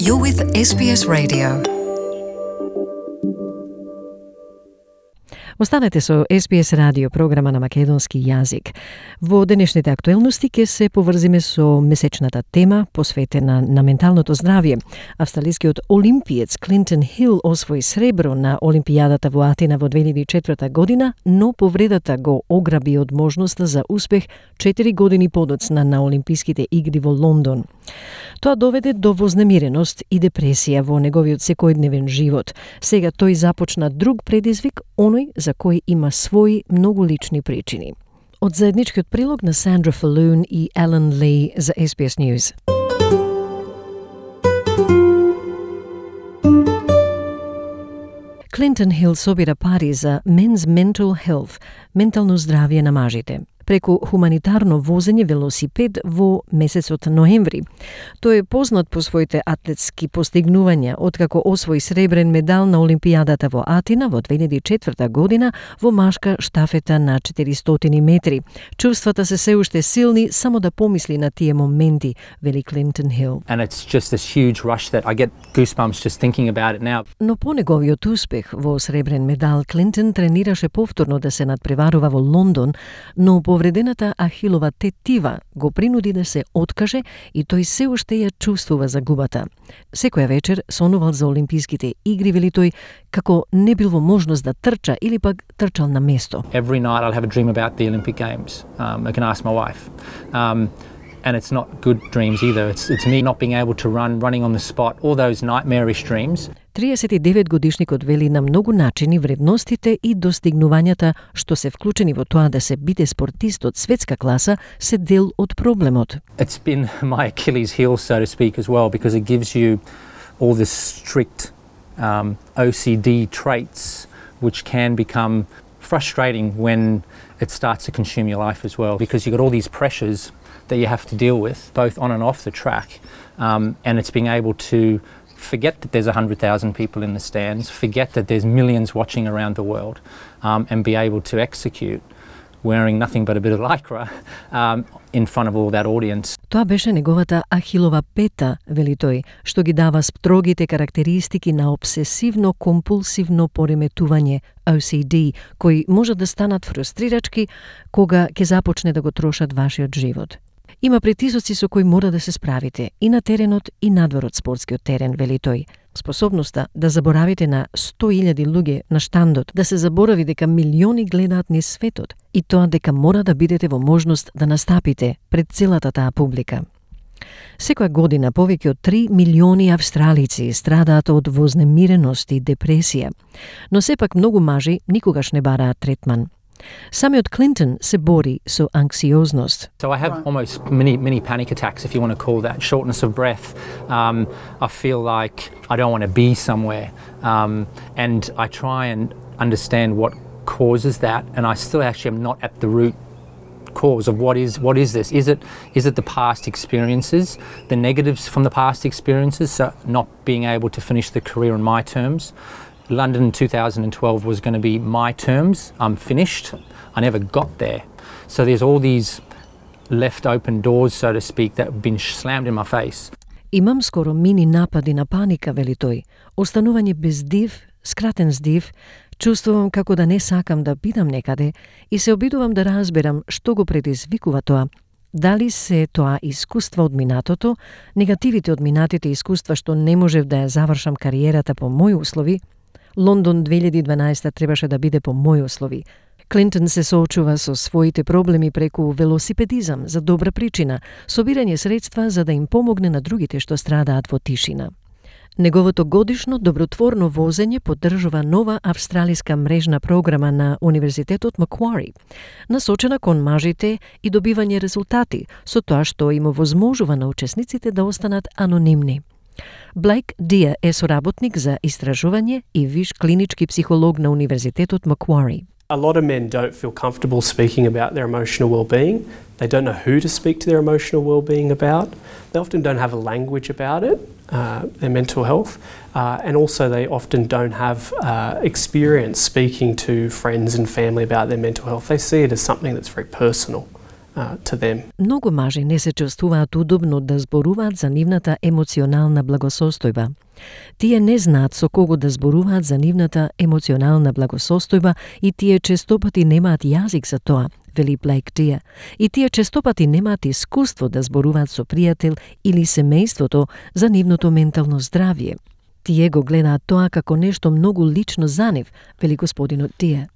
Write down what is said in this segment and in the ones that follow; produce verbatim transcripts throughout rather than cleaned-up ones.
You're with S B S Radio. Останете со С Б С радио, програма на македонски јазик. Во денешните актуелности ќе се поврзиме со месечната тема посветена на менталното здравје. Австралискиот олимпиец Клинтон Хил освои сребро на Олимпијадата во Атина во две илјади и четврта година, но повредата го ограби од можноста за успех четири години подоцна на Олимписките игри во Лондон. Тоа доведе до вознемиреност и депресија во неговиот секојдневен живот. Сега тој започна друг предизвик, оној за кој има своји многу лични причини. Од заедничкиот прилог на Сандра Фалун и Елен Ли за С Б С News. Клинтон Хил собира пари за Men's Mental Health, ментално здравје на мажите, преку хуманитарно возење велосипед во месецот ноември. Тој е познат по своите атлетски постигнувања, откако освои сребрен медал на Олимпијадата во Атина во две илјади и четврта година во машка штафета на четиристотини метри. Чувствата се се уште силни само да помисли на тие моменти, вели Клинтон Хил. And it's just this huge rush that I get goosebumps just thinking about it now. Но по неговиот успех во сребрен медал, Клинтон тренираше повторно да се надпреварува во Лондон, но повредената ахилова тетива го принуди да се откаже и тој се уште ја чувствува загубата. Секоја вечер сонувал за Олимписките игри, вели тој, како не бил во можност да трча или пак трчал на место. Every night I'll have a dream about the Olympic Games. Um, I can ask my wife. Um, and it's not good dreams either. It's, it's me not being able to run, running on the spot, all those nightmarish dreams. триесет и девет годишникот вели на многу начини вредностите и достигнувањата што се вклучени во тоа да се биде спортист од светска класа се дел од проблемот. It's been my Achilles heel, so to speak, as well, because it gives you all this strict um, O C D traits which can become frustrating when it starts to consume your life as well, because you've got all these pressures that you have to deal with, both on and off the track, um, and it's being able to forget that there's one hundred thousand people in the stands, forget that there's millions watching around the world, um, and be able to execute wearing nothing but a bit of lycra um, in front of all that audience. Тоа беше неговата ахилова пета, вели тој, што ги дава строгите карактеристики на обсесивно-компулсивно пореметување О С Д, кои може да станат фрустрирачки кога ќе започне да го трошат вашиот живот. Има притисоци со кои мора да се справите и на теренот и надвор од спортскиот терен, вели тој. Способноста да заборавите на сто илјади луѓе на штандот, да се заборави дека милиони гледаат низ светот и тоа дека мора да бидете во можност да настапите пред целата таа публика. Секоја година повеќе од три милиони австралици страдаат од вознемиреност и депресија, но сепак многу мажи никогаш не бараат третман. Самиот Клинтон се бори со анксиозност. So I have almost mini mini panic attacks, if you want to call that, shortness of breath. Um, I feel like I don't want to be somewhere, um, and I try and understand what causes that, and I still actually am not at the root cause of what is what is this? Is it is it the past experiences, the negatives from the past experiences, so not being able to finish the career on my terms? London two thousand twelve was going to be my terms. I'm finished. I never got there. So there's all these left open doors, so to speak, that have been slammed in my face. Имам скоро мини напади на паника, вели тој. Останување без див, скратен здив, чувствувам како да не сакам да бидам некаде и се обидувам да разберам што го предизвикува тоа. Дали се тоа искуство од минатото, негативите од минатите искуства што не можев да ја завршам кариерата по мои услови. Лондон две илјади и дванаесета требаше да биде по мои услови. Клинтон се соочува со своите проблеми преку велосипедизам за добра причина, собирање средства за да им помогне на другите што страдаат во тишина. Неговото годишно добротворно возење поддржува нова австралиска мрежна програма на Универзитетот Маквари, насочена кон мажите и добивање резултати, со тоа што им овозможува на учесниците да останат анонимни. Блейк Дија е соработник за истражување и виш клинички психолог на Универзитетот Маквари. A lot of men don't feel comfortable speaking about their emotional well-being. They don't know who to speak to their emotional well-being about. They often don't have a language about it, uh, their mental health, uh, and also they often don't have uh, experience speaking to friends and family about their mental health. They see it as something that's very personal. uh, to them. Многу мажи не се чувствуваат удобно да зборуваат за нивната емоционална благосостојба. Тие не знаат со кого да зборуваат за нивната емоционална благосостојба и тие честопати немаат јазик за тоа, вели Блейк Тие. И тие честопати немаат искуство да зборуваат со пријател или семејството за нивното ментално здравје. Тие го гледаат тоа како нешто многу лично за нив, вели господинот Тие.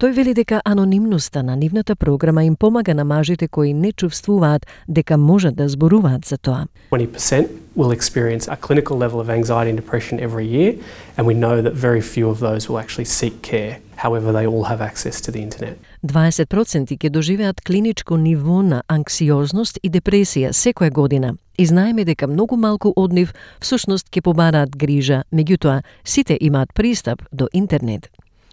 Тој вели дека анонимноста на нивната програма им помага на мажите кои не чувствуваат дека можат да зборуваат за тоа. twenty percent will experience a clinical level of anxiety and depression every year, and we know that very few of those will actually seek care. However, they all have access to the internet. дваесет проценти ќе доживеат клиничко ниво на анксиозност и депресија секоја година. И знаеме дека многу малку од нив всушност ќе побараат грижа, меѓутоа сите имаат пристап до интернет.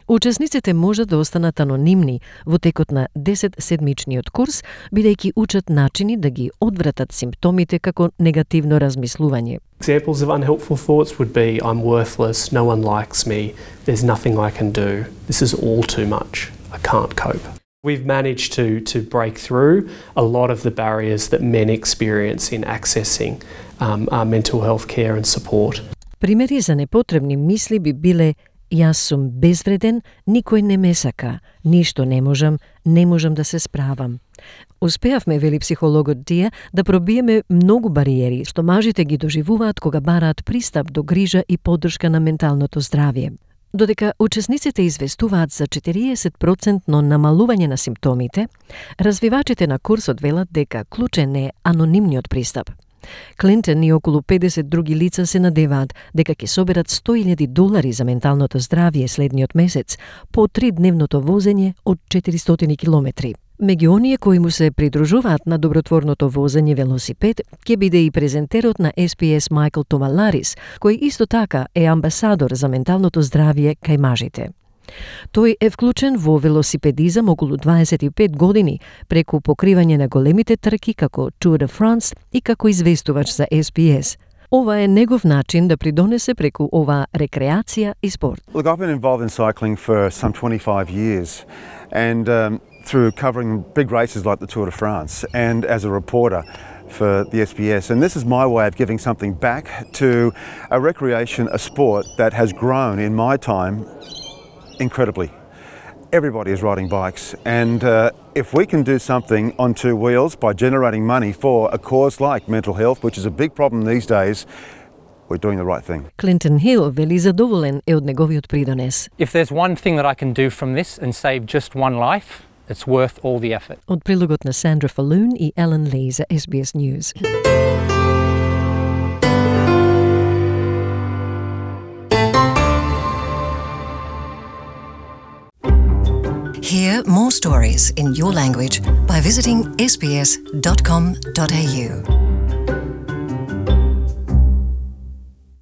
Учесниците можат да останат анонимни во текот на десетседмичниот курс, бидејќи учат начини да ги одвратат симптомите како негативно размислување. Examples of unhelpful thoughts would be, I'm worthless, no one likes me, there's nothing I can do, this is all too much, I can't cope. We've managed to, to break through a lot of the barriers that men experience in accessing um, our mental health care and support. Примери за непотребни мисли би биле: јас сум безвреден, никој не ме сака, ништо не можам, не можам да се справам. Успеавме, вели психологот Тие, да пробиеме многу бариери што мажите ги доживуваат кога бараат пристап до грижа и поддршка на менталното здравје. Додека учесниците известуваат за четириесет проценти намалување на симптомите, развивачите на курсот велат дека клучен е анонимниот пристап. Клинтон и околу педесет други лица се надеваат дека ќе соберат сто илјади долари за менталното здравје следниот месец по тридневното возење од четиристотини километри. Меѓу оние кои му се придружуваат на добротворното возење велосипед ќе биде и презентерот на Ес Би Ес Майкл Томаларис, кој исто така е амбасадор за менталното здравје кај мажите. Тој е вклучен во велосипедизам околу дваесет и пет години преку покривање на големите трки како Tour de France и како известувач за Ес Би Ес. Ова е негов начин да придонесе преку ова рекреација и спорт. Look, I've been involved in cycling for some twenty-five years and um, through covering big races like the Tour de France and as a reporter for the Ес Би Ес. And this is my way of giving something back to a recreation, a sport that has grown in my time incredibly. Everybody is riding bikes, and uh, if we can do something on two wheels by generating money for a cause like mental health, which is a big problem these days, we're doing the right thing. Клинтон Хил вели задоволен е од неговиот придонес. If there's one thing that I can do from this and save just one life, it's worth all the effort. Од прилогот на Сандра Фалун и Елен Ли за Ес Би Ес News. Hear more stories in your language by visiting s b s dot com dot a u.